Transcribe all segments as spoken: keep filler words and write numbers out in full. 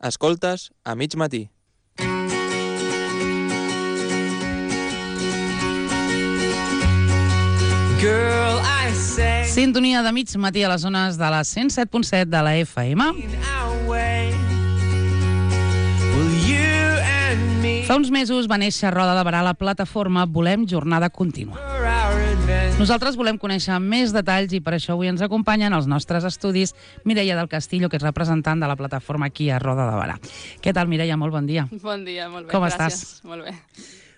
Escoltes a mig matí. Girl, I say Sintonia de mig matí a les zones de la cent set punt set de la F M. Fa uns mesos va néixer a Roda de Berà la plataforma Volem Jornada Contínua. Nosaltres volem conèixer més detalls i per això avui ens acompanyen als nostres estudis Mireia del Castillo, que és representant de la plataforma aquí a Roda de Berà. Què tal, Mireia? Molt bon dia. Bon dia, molt bé. Com gràcies. estàs? Molt bé.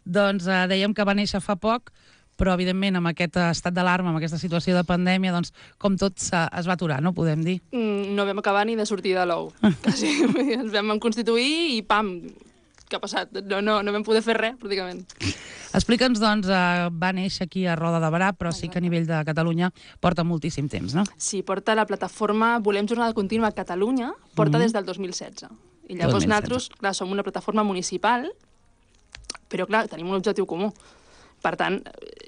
Doncs eh, dèiem que va néixer fa poc, però evidentment amb aquest estat d'alarma, amb aquesta situació de pandèmia, doncs com tot es va aturar, no podem dir? Mm, no vam acabar ni de sortir de l'ou. Quasi. Ens vam constituir i pam, què ha passat? No, no, no vam poder fer res, pràcticament. Explica'ns, doncs, eh, va néixer aquí a Roda de Berà, però sí que a nivell de Catalunya porta moltíssim temps, no? Sí, porta la plataforma Volem Jornada Contínua a Catalunya, porta Mhm. des del dos mil setze. I llavors dos mil setze. nosaltres, clar, som una plataforma municipal, però clar, tenim un objectiu comú. Per tant,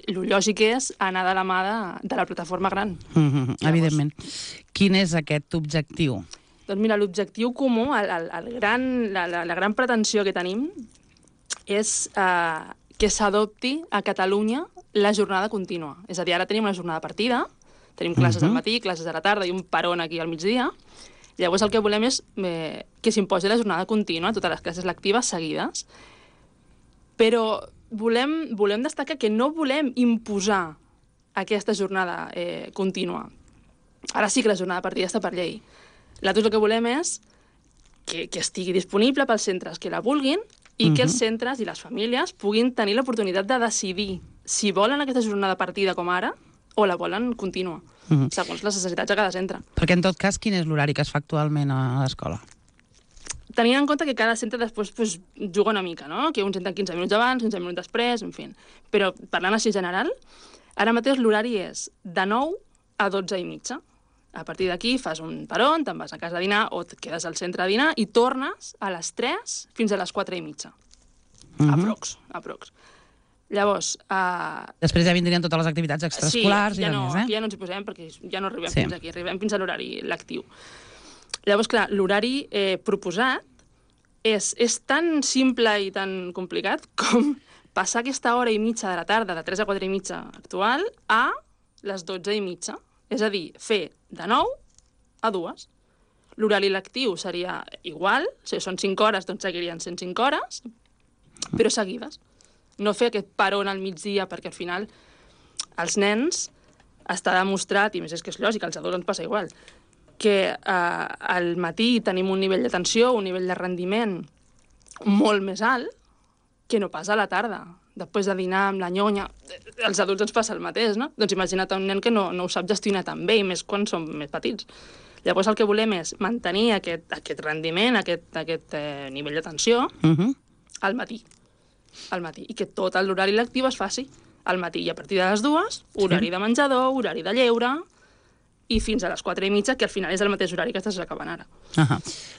el lògic és anar de la mà de, de la plataforma gran. Mm-hmm, evidentment. Quin és aquest objectiu? Doncs mira, l'objectiu comú, el, el, el gran, la, la, la gran pretensió que tenim és eh, que s'adopti a Catalunya la jornada contínua. És a dir, ara tenim una jornada partida, tenim classes al matí, classes a la tarda i un peron aquí al migdia. Llavors el que volem és eh, que s'imposi la jornada contínua, totes les classes lectives seguides. Però volem, volem destacar que no volem imposar aquesta jornada eh, contínua. Ara sí que la jornada partida està per llei. Nosaltres el que volem és que, que estigui disponible pels centres que la vulguin i que els centres i les famílies puguin tenir l'oportunitat de decidir si volen aquesta jornada partida com ara o la volen contínua, Mhm. segons les necessitats de cada centre. Perquè, en tot cas, quin és l'horari que es fa actualment a l'escola? Tenint en compte que cada centre després pues, juga una mica, no? Que uns entren quinze minuts abans, quinze minuts després, en fi. Però parlant així general, ara mateix l'horari és de nou a dotze i mitja. A partir d'aquí fas un peron, te'n vas a casa a dinar o et quedes al centre a dinar i tornes a les tres fins a les quatre i mitja. Mhm. Aprox, aprox. Llavors... Uh, Després ja vindrien totes les activitats extraescolars sí, ja i no, demés, eh? aquí ja no ens hi posem perquè ja no arribem Sí. fins aquí, arribem fins a l'horari lectiu. Llavors, clar, l'horari eh, proposat és, és tan simple i tan complicat com passar aquesta hora i mitja de la tarda, de tres a quatre i mitja actual, a les dotze i mitja. És a dir, fer de nou a dues. L'horari lectiu seria igual, si són cinc hores, doncs seguirien sent cinc hores, però seguides. No fer aquest peron al migdia, perquè al final els nens està demostrat, i més és que és lògic, als adults ens passa igual, que eh, al matí tenim un nivell d'atenció, un nivell de rendiment molt més alt que no pas a la tarda. Després de dinar amb la nyonya, als adults ens passa el mateix, no? Doncs imagina't un nen que no, no ho sap gestionar tan bé, i més quan som més petits. Llavors el que volem és mantenir aquest, aquest rendiment, aquest, aquest eh, nivell d'atenció Mhm. al matí. Al matí. I que tot l'horari lectiu es faci al matí. I a partir de les dues, horari Sí. de menjador, horari de lleure, i fins a les quatre i mitja, que al final és el mateix horari que estàs acabant ara. Ahà.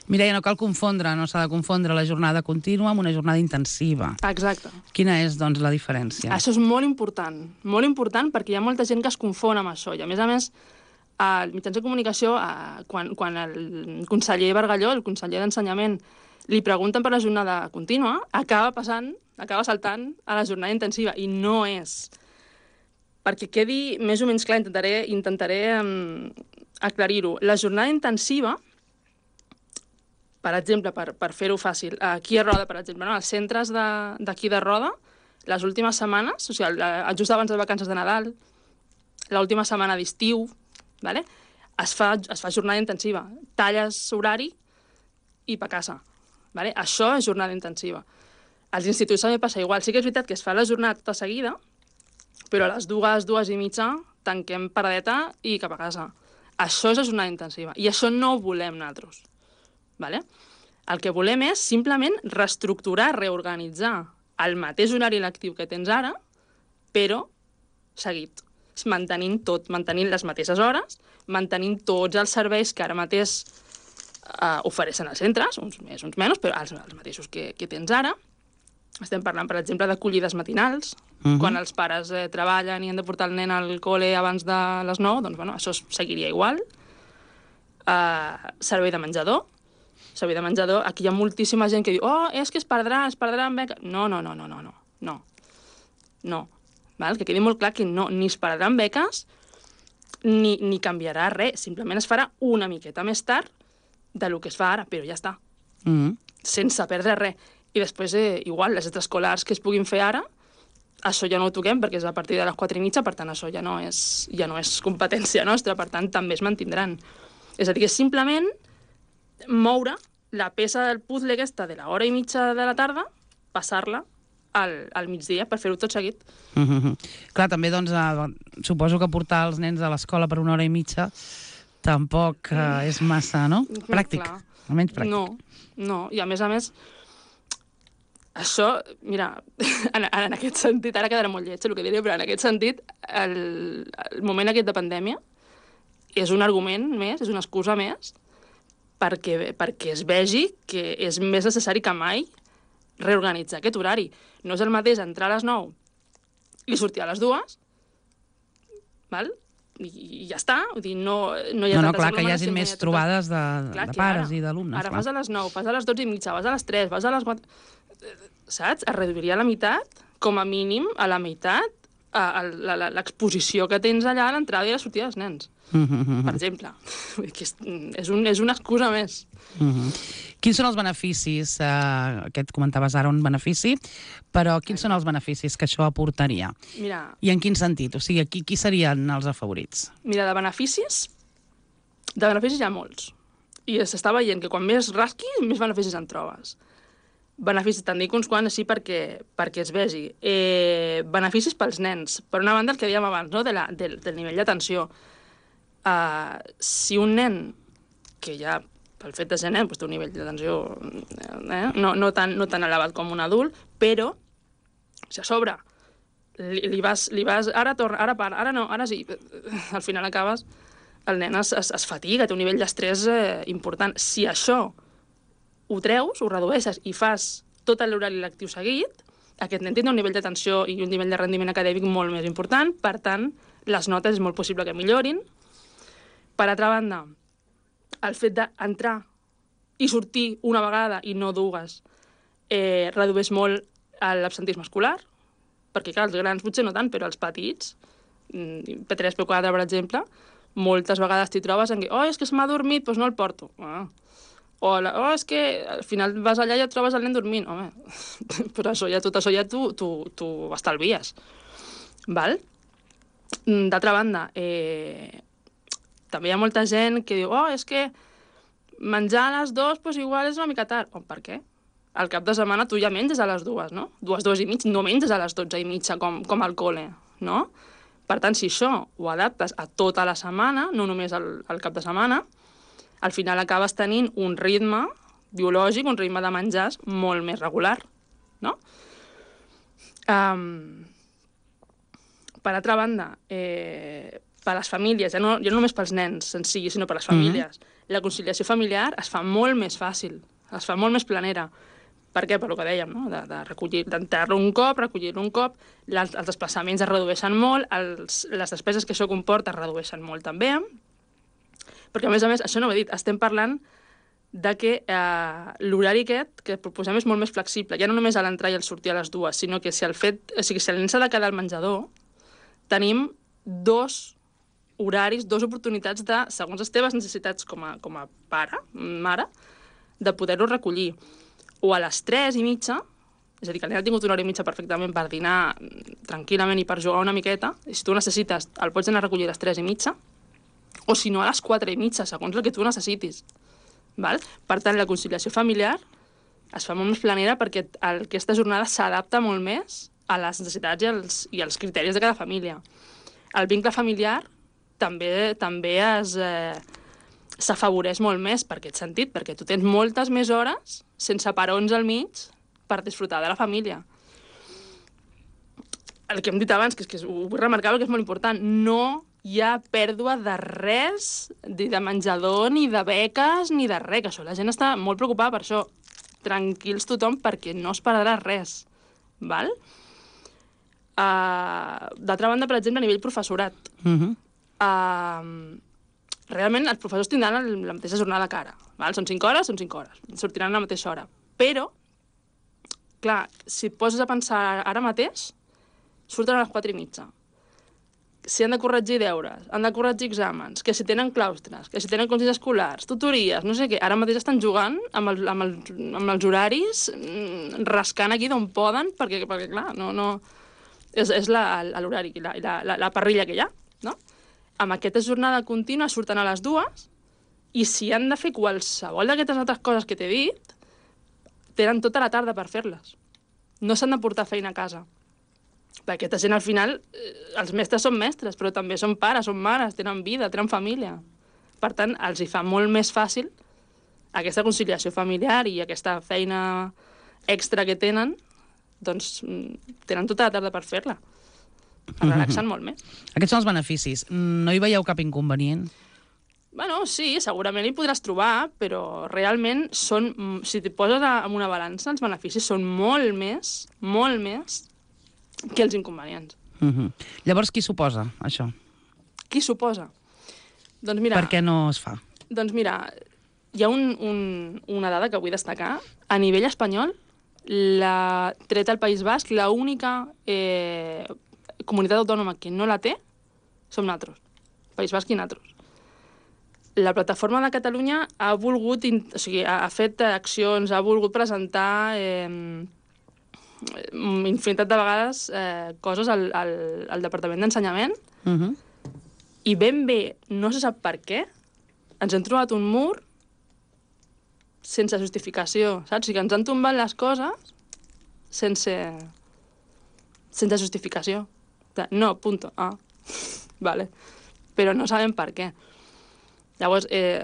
Mireia, no cal confondre, no s'ha de confondre la jornada contínua amb una jornada intensiva. Exacte. Quina és, doncs, la diferència? Això és molt important, molt important perquè hi ha molta gent que es confon amb això. I a més a més, als mitjans de comunicació, eh, quan, quan el conseller Bargalló, el conseller d'Ensenyament, li pregunten per la jornada contínua, acaba passant, acaba saltant a la jornada intensiva, i no és. Perquè quedi més o menys clar, intentaré, intentaré um, aclarir-ho. La jornada intensiva, per exemple, per, per fer-ho fàcil, aquí a Roda, per exemple, no? Els centres d'aquí de, de Roda, les últimes setmanes, o sigui, la, just abans de les vacances de Nadal, l'última setmana d'estiu, vale? es, fa, es fa jornada intensiva. Talles horari i pa casa. Vale? Això és jornada intensiva. Als instituts també passa igual. Sí que és veritat que es fa la jornada tota seguida, però a les dues, dues i mitja, tanquem paradeta i cap a casa. Això és la jornada intensiva. I això no ho volem nosaltres. Vale? El que volem és simplement reestructurar, reorganitzar el mateix horari lectiu que tens ara, però seguit. Mantenint tot, mantenint les mateixes hores, mantenint tots els serveis que ara mateix eh, ofereixen als centres, uns més, uns menys, però els, els mateixos que, que tens ara. Estem parlant, per exemple, d'acollides matinals, uh-huh. quan els pares eh, treballen i han de portar el nen al col·le abans de les nou, doncs bueno, això seguiria igual. Uh, servei de menjador, servei de menjador, aquí hi ha moltíssima gent que diu oh, és que es perdrà, es perdrà en beca. No, no, no, no, no, no, no. No. Val? Que quedi molt clar que no, ni es perdran beques, ni, ni canviarà res. Simplement es farà una miqueta més tard de lo que es fa ara, però ja està. Mm. Sense perdre res. I després, eh, igual, les extraescolars que es puguin fer ara, això ja no ho toquem perquè és a partir de les quatre i mitja, per tant, això ja no és, ja no és competència nostra, per tant, també es mantindran. És a dir, que és simplement moure la peça del puzzle aquesta de l'hora i mitja de la tarda, passar-la al, al migdia per fer-ho tot seguit. Mm -hmm. Clar, també, doncs, eh, suposo que portar els nens a l'escola per una hora i mitja tampoc eh, és massa, no? Pràctic, Clar. almenys pràctic. No, no, i a més a més, això, mira, en, en aquest sentit, ara quedarà molt lleig el que diré, però en aquest sentit, el, el moment aquest de pandèmia és un argument més, és una excusa més, perquè, perquè es vegi que és més necessari que mai reorganitzar aquest horari. No és el mateix entrar a les nou i sortir a les dues, val? I, i ja està, vull dir, no, no hi ha No, no, tantes clar, que hi hagi aglomeracions, més no hi ha trobades de, Clar, de que pares ara, i d'alumnes. Ara clar. vas a les nou, vas a les dotze i mitja, vas a les tres, vas a les quatre... Saps? Es reduiria a la meitat, com a mínim a la meitat, a, a la- la- l'exposició que tens allà a l'entrada i a la sortida dels nens, Mm -hmm. per exemple. Vull dir que és, és, un, és una excusa més. Mm -hmm. Quins són els beneficis? Eh, aquest comentaves ara un benefici, però quins són els beneficis que això aportaria? Mira, I en quin sentit? O sigui, qui, qui serien els afavorits? mira, de beneficis, de beneficis hi ha molts. I s'està veient que quan més rasquis, més beneficis en trobes. Beneficis, te'n dic uns quants així perquè, perquè es vegi. Eh, beneficis pels nens. Per una banda, el que dèiem abans, no? de la, del, del nivell d'atenció. Uh, si un nen, que ja pel fet de ser nen, doncs té un nivell d'atenció eh, no, no, tan, no tan elevat com un adult, però si a sobre li, li, vas, li vas... Ara torna, ara para, ara no, ara sí. Al final acabes... El nen es, es, es fatiga, té un nivell d'estrès eh, important. Si això ho treus, ho redueixes i fas tot l'horari lectiu seguit, aquest nen tindrà un nivell d'atenció i un nivell de rendiment acadèmic molt més important, per tant, les notes és molt possible que millorin. Per altra banda, el fet d'entrar i sortir una vegada i no dues eh, redueix molt l'absentisme escolar, perquè, clar, els grans potser no tant, però els petits, P tres, P quatre, per exemple, moltes vegades t'hi trobes en què, oh, és que se m'ha dormit, doncs no el porto. Ah. O, la, oh, és que al final vas allà i et trobes el nen dormint. Home, però això ja, tot això ja t'ho estalvies. Val? D'altra banda, eh, també hi ha molta gent que diu, oh, és que menjar a les dues, doncs igual és una mica tard. Oh, per què? Al cap de setmana tu ja menges a les dues, no? Dues, dues i mig, no menges a les dotze i mitja com, com al col·le, no? Per tant, si això ho adaptes a tota la setmana, no només al, al cap de setmana, al final acabes tenint un ritme biològic, un ritme de menjars molt més regular, no? Um, per altra banda, eh, per les famílies, ja no, ja no només pels nens en si, sinó per les famílies, mm-hmm. la conciliació familiar es fa molt més fàcil, es fa molt més planera. Per què? Per el que dèiem, no? de, de recollir, d'enterrar-lo un cop, recollir-lo un cop, les, els desplaçaments es redueixen molt, els, les despeses que això comporta es redueixen molt també, perquè a més a més, això no ho he dit, estem parlant de que eh, l'horari aquest que proposem és molt més flexible, ja no només a l'entrar i al sortir a les dues, sinó que si el fet, o sigui, si el nen s'ha de quedar al menjador, tenim dos horaris, dues oportunitats de, segons les teves necessitats com a, com a pare, mare, de poder-ho recollir. O a les tres i mitja, és a dir, que el nen ha tingut una hora i mitja perfectament per dinar tranquil·lament i per jugar una miqueta, i si tu necessites, el pots anar a recollir a les tres i mitja, o si no a les quatre i mitja, segons el que tu necessitis. Val? Per tant, la conciliació familiar es fa molt més planera perquè el, aquesta jornada s'adapta molt més a les necessitats i als, i als criteris de cada família. El vincle familiar també, també es... Eh, s'afavoreix molt més per aquest sentit, perquè tu tens moltes més hores sense parons al mig per disfrutar de la família. El que hem dit abans, que, és que ho vull remarcar perquè és molt important, no hi ha pèrdua de res, ni de menjador, ni de beques, ni de res, que això la gent està molt preocupada per això. Tranquils tothom, perquè no es perdrà res. Val? Uh, d'altra banda, per exemple, a nivell professorat, Mm-hmm. uh, realment els professors tindran el, la mateixa jornada que ara. Val? Són cinc hores, són cinc hores. Sortiran a la mateixa hora. Però, clar, si et poses a pensar ara mateix, surten a les quatre i mitja. Si han de corregir deures, han de corregir exàmens, que si tenen claustres, que si tenen consells escolars, tutories, no sé què, ara mateix estan jugant amb, el, amb, el, amb els horaris, rascant aquí d'on poden, perquè, perquè clar, no, no... És, és l'horari, la, la, la, la parrilla que hi ha, no? Amb aquesta jornada contínua surten a les dues i si han de fer qualsevol d'aquestes altres coses que t'he dit, tenen tota la tarda per fer-les. No s'han de portar feina a casa. Perquè aquesta gent, al final, els mestres són mestres, però també són pares, són mares, tenen vida, tenen família. Per tant, els hi fa molt més fàcil aquesta conciliació familiar i aquesta feina extra que tenen, doncs tenen tota la tarda per fer-la. Es relaxen molt més. Aquests són els beneficis. No hi veieu cap inconvenient? Bueno, sí, segurament hi podràs trobar, però realment són, si t'hi poses en una balança, els beneficis són molt més, molt més que els inconvenients. Uh -huh. Llavors, qui suposa això? Qui suposa? Doncs mira... Per què no es fa? Doncs mira, hi ha un, un, una dada que vull destacar. A nivell espanyol, la, tret al País Basc, l'única eh, comunitat autònoma que no la té som nosaltres. País Basc i nosaltres. La plataforma de Catalunya ha volgut, o sigui, ha, ha fet accions, ha volgut presentar eh, infinitat de vegades eh, coses al, al, al Departament d'Ensenyament uh -huh. i ben bé, no se sap per què, ens hem trobat un mur sense justificació, saps? O sigui, que ens han tombat les coses sense, sense justificació. No, punto. Ah, vale. Però no sabem per què. Llavors, eh,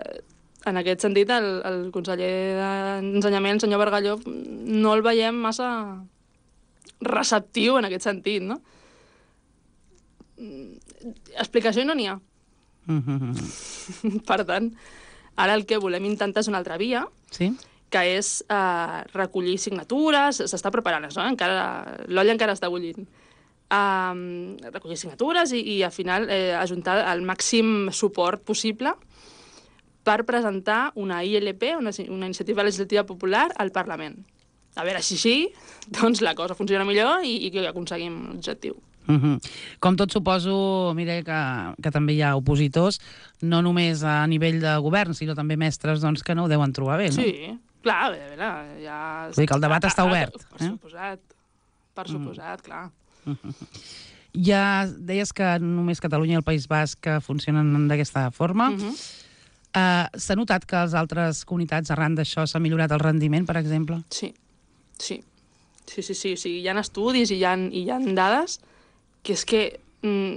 en aquest sentit, el, el conseller d'Ensenyament, el senyor Bargalló, no el veiem massa receptiu en aquest sentit, no? Explicació no n'hi ha. Per tant, ara el que volem intentar és una altra via, sí? Que és eh, recollir signatures, s'està preparant això, eh? Encara, l'olla encara està bullint. Um, recollir signatures i, i al final eh, ajuntar el màxim suport possible per presentar una I L P, una, una iniciativa legislativa popular, al Parlament. A veure si sí, doncs la cosa funciona millor i, i que aconseguim l'objectiu. Uh -huh. Com tot suposo, Mireia, que, que també hi ha opositors, no només a nivell de govern, sinó també mestres doncs, que no ho deuen trobar bé, no? Sí, clar, a veure, ja... Vull dir que el debat està obert. Per eh? suposat, per suposat, mm. clar. Uh -huh. Ja deies que només Catalunya i el País Basc funcionen d'aquesta forma. Uh -huh. uh, S'ha notat que a les altres comunitats, arran d'això, s'ha millorat el rendiment, per exemple? Sí, sí. Sí, sí, sí. sí. Hi ha estudis i hi ha, i hi ha dades que és que mm,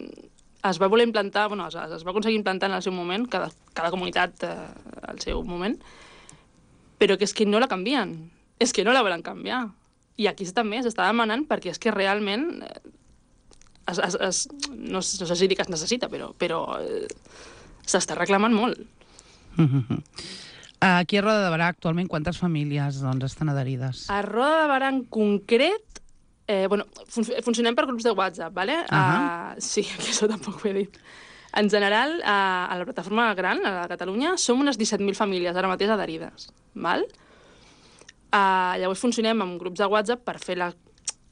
es va voler implantar, bueno, es, es va aconseguir implantar en el seu moment, cada, cada comunitat eh, al seu moment, però que és que no la canvien. És que no la volen canviar. I aquí també s'està demanant perquè és que realment eh, es, es, es, no, no sé si dir que es necessita, però, però eh, s'està reclamant molt. Uh -huh. Aquí a Roda de Berà actualment quantes famílies doncs, estan adherides? A Roda de Berà en concret, eh, bueno, fun funcionem per grups de WhatsApp, ¿vale? Uh -huh. uh, sí, que això tampoc ho he dit. En general, uh, a la plataforma gran, a la Catalunya, som unes disset mil famílies ara mateix adherides, val? Uh, llavors funcionem amb grups de WhatsApp per fer la,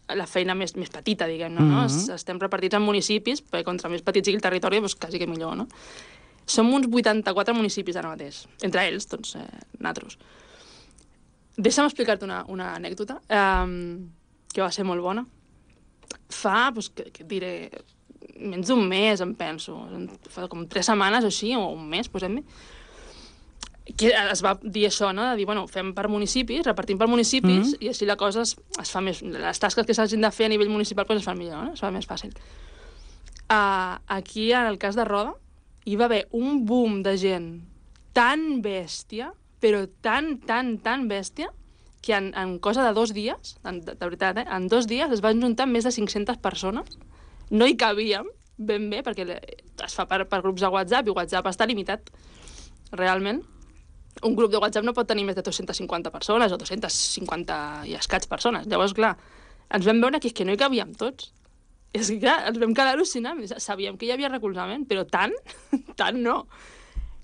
la feina més, més petita, diguem-ne, no? Uh -huh. Estem repartits en municipis, perquè contra més petit sigui el territori, doncs quasi que millor, no? Som uns vuitanta-quatre municipis ara mateix. Entre ells, doncs, eh, nosaltres. Deixa'm explicar-te una, una anècdota um, que va ser molt bona. Fa, doncs, que, que diré, menys d'un mes, em penso. Fa com tres setmanes o així, o un mes, posem-hi. Que es va dir això, no? De dir, bueno, fem per municipis, repartim per municipis, mm-hmm. i així la cosa es, es fa més... Les tasques que s'hagin de fer a nivell municipal doncs es fan millor, no? Es fa més fàcil. Uh, aquí, en el cas de Roda, hi va haver un boom de gent tan bèstia, però tan, tan, tan bèstia, que en, en cosa de dos dies, en, de, de veritat, eh, en dos dies es van juntar més de cinc-centes persones. No hi cabíem ben bé, perquè es fa per, per grups de WhatsApp, i WhatsApp està limitat, realment. Un grup de WhatsApp no pot tenir més de dos-centes cinquanta persones, o dos-centes cinquanta i escaig persones. Llavors, clar, ens vam veure que, que no hi cabíem tots. És que, clar, ens vam quedar al·lucinant. Sabíem que hi havia recolzament, però tant, tant no.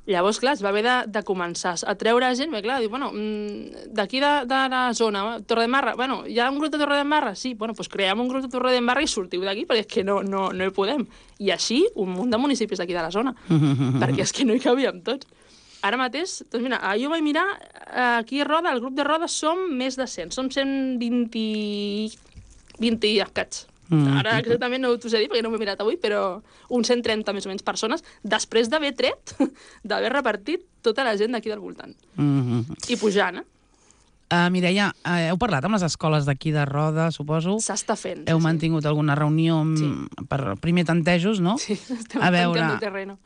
Llavors, clar, es va haver de, de començar a treure gent, perquè, clar, diu, bueno, d'aquí de, de la zona, Torredembarra, bueno, hi ha un grup de Torredembarra? Sí, bueno, doncs creem un grup de Torredembarra i sortiu d'aquí, perquè és que no, no, no hi podem. I així, un munt de municipis d'aquí de la zona, perquè és que no hi cabíem tots. Ara mateix, doncs mira, jo vaig mirar, aquí a Roda, el grup de Roda som més de cent, som cent vint, vint i escats. Ara exactament no t'ho sé dir perquè no m'he mirat avui, però uns cent trenta més o menys persones després d'haver tret, d'haver repartit tota la gent d'aquí del voltant. Mm-hmm. I pujant, eh? Uh, Mireia, uh, heu parlat amb les escoles d'aquí de Roda, suposo? S'està fent. Heu sí, mantingut alguna reunió amb, Sí. per primer tantejos, no? Sí, estem A veure... tanteando el terreno.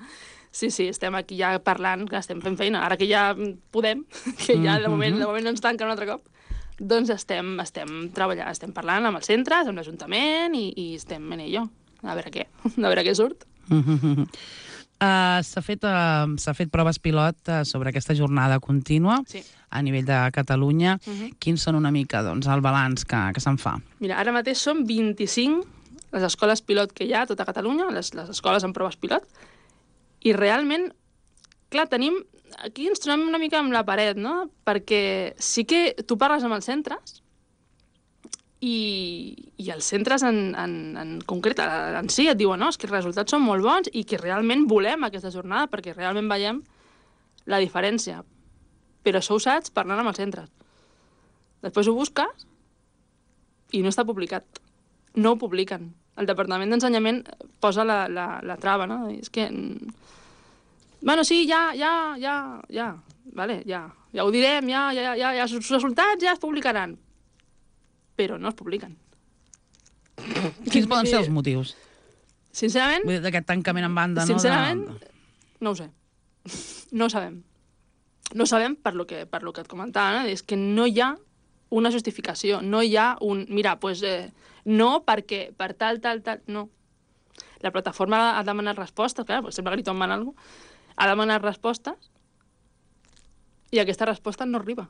Sí, sí, estem aquí ja parlant, que estem fent feina. Ara que ja podem, que ja de moment, de moment no ens tanquen un altre cop, doncs estem, estem treballant, estem parlant amb els centres, amb l'Ajuntament i, i estem en ello. A veure què, a veure què surt. Uh, S'ha fet, uh, s'ha fet proves pilot uh, sobre aquesta jornada contínua Sí. a nivell de Catalunya. Mhm. Quins són una mica doncs, el balanç que, que se'n fa? Mira, ara mateix són vint-i-cinc les escoles pilot que hi ha a tota Catalunya, les, les escoles amb proves pilot, i realment, clar, tenim... Aquí ens trobem una mica amb la paret, no? Perquè sí que tu parles amb els centres i, i els centres en, en, en concret, en si, et diuen no, és que els resultats són molt bons i que realment volem aquesta jornada perquè realment veiem la diferència. Però això ho saps parlant amb els centres. Després ho busques i no està publicat. No ho publiquen. El Departament d'Ensenyament posa la, la, la trava, no? És que... Bueno, sí, ja, ja, ja, ja, vale, ja, ja ho direm, ja, ja, ja, ja, els resultats ja es publicaran. Però no es publiquen. Quins poden ser els motius? Sincerament, Vull dir, d'aquest tancament en banda, sincerament, no? De... no ho sé. No ho sabem. No ho sabem per lo que, per lo que et comentava, no? És que no hi ha una justificació, no hi ha un... Mira, doncs pues, eh, no perquè per tal, tal, tal... No. La plataforma ha demanat respostes, clar, pues sembla que li tomen alguna cosa, ha demanat respostes i aquesta resposta no arriba.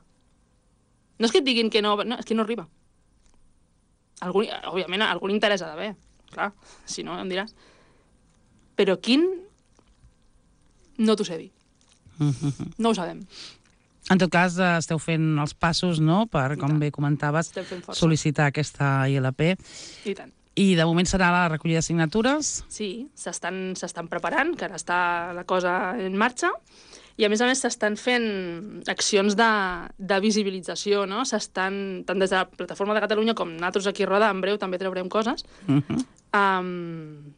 No és que et diguin que no, no és que no arriba. Algú, òbviament, algun interès ha d'haver, clar, si no em diràs. Però quin no t'ho sé dir. No ho sabem. En tot cas, eh, esteu fent els passos, no?, per, com bé comentaves, Estem fent força. sol·licitar aquesta I L P. I tant. I de moment serà la recollida de signatures? Sí, s'estan s'estan preparant, que ara està la cosa en marxa, i a més a més s'estan fent accions de, de visibilització, no? S'estan, tant des de la Plataforma de Catalunya com nosaltres aquí a Roda, en breu també traurem coses, Uh -huh. um,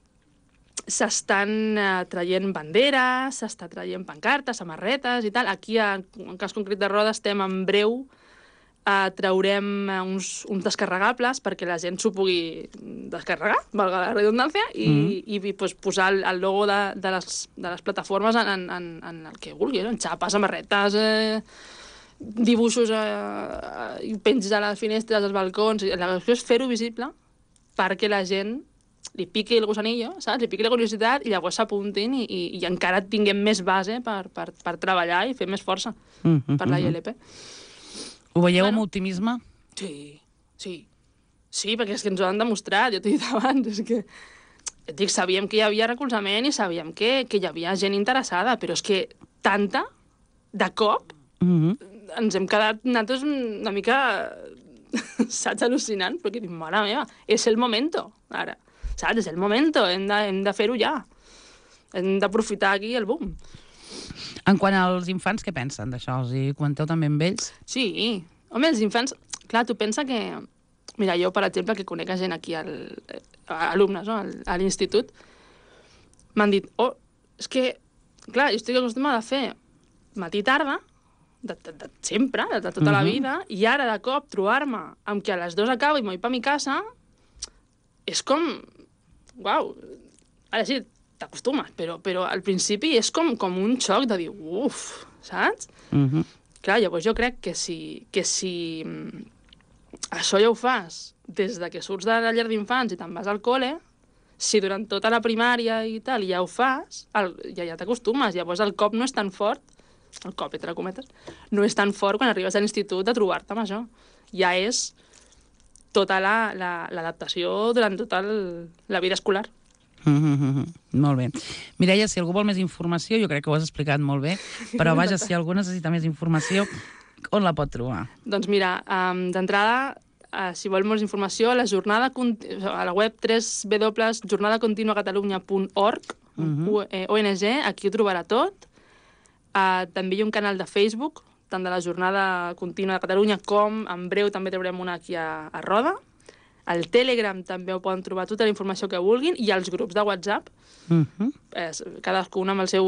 s'estan uh, traient banderes, s'està traient pancartes, samarretes i tal. Aquí, en, en cas concret de Roda, estem en breu Uh, traurem uh, uns, uns descarregables perquè la gent s'ho pugui descarregar, valga la redundància, i, mm. i, i pues, posar el, el logo de, de, les, de les plataformes en, en, en, en el que vulgui, no? En xapes, samarretes, eh, dibuixos, eh, i penges a les finestres, als balcons. La qüestió és fer-ho visible perquè la gent li piqui el gusanillo, saps? Li piqui la curiositat i llavors s'apuntin i, i, i encara tinguem més base per, per, per treballar i fer més força Mm -hmm. per la I L P. Ho veieu Bueno. amb optimisme? Sí, sí. Sí, perquè és que ens ho han demostrat, jo t'ho he dit abans, és que... Et dic, sabíem que hi havia recolzament i sabíem que, que hi havia gent interessada, però és que tanta, de cop, Mm -hmm. ens hem quedat nosaltres una mica, saps, al·lucinant, perquè dic, mare meva, és el momento, ara, saps, és el momento, hem de, hem de fer-ho ja. Hem d'aprofitar aquí el boom. En quant als infants, què pensen d'això? Els hi comenteu també amb ells? Sí. Home, els infants... Clar, tu pensa que... Mira, jo, per exemple, que conec gent aquí, al, alumnes, no?, a l'institut, m'han dit, oh, és que, clar, jo estic acostumada a fer matí-tarda, de, de, de, sempre, de, de tota uh-huh. la vida, i ara, de cop, trobar-me amb que a les dues acabo i m'ho vaig per mi casa, és com... Uau! Ara sí, t'acostumes, però, però al principi és com, com un xoc de dir, uf, saps? Mm -hmm. Clar, llavors jo crec que si, que si això ja ho fas des de que surts de la llar d'infants i te'n vas al col·le, si durant tota la primària i tal ja ho fas, el, ja, ja t'acostumes, llavors el cop no és tan fort, el cop, entre cometes, no és tan fort quan arribes a l'institut de trobar-te amb això. Ja és tota l'adaptació la, la, durant tota el, la vida escolar. Mm -hmm. Molt bé. Mireia, si algú vol més informació, jo crec que ho has explicat molt bé, però vaja, si algú necessita més informació, on la pot trobar? Doncs mira, um, d'entrada, uh, si vol més informació, a la jornada a la web w w w punt jornada continua catalunya punt org, mm -hmm. O N G, aquí ho trobarà tot. Uh, també hi ha un canal de Facebook, tant de la Jornada Contínua de Catalunya com, en breu, també traurem una aquí a, a Roda. Al Telegram també ho poden trobar tota la informació que vulguin, i als grups de WhatsApp, uh -huh. eh, cadascú amb el seu,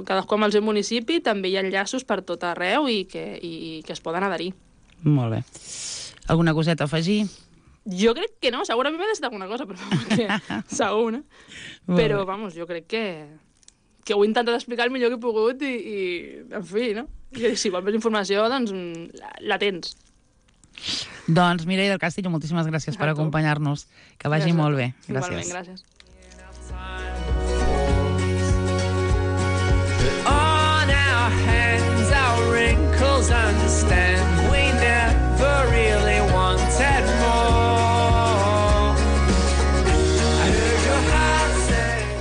cadascú amb el seu municipi, també hi ha enllaços per tot arreu i que, i, que es poden adherir. Molt bé. Alguna coseta a afegir? Jo crec que no, segurament m'he deixat alguna cosa, però que segur, no? Però, vamos, jo crec que, que ho he intentat explicar el millor que he pogut i, i en fi, no? I si vols més informació, doncs la, la tens. Doncs Mireia del Castillo, moltíssimes gràcies per acompanyar-nos. Que vagi gràcies. molt bé. Gràcies. Igualment, gràcies. On our hands, our wrinkles understand. We never realize.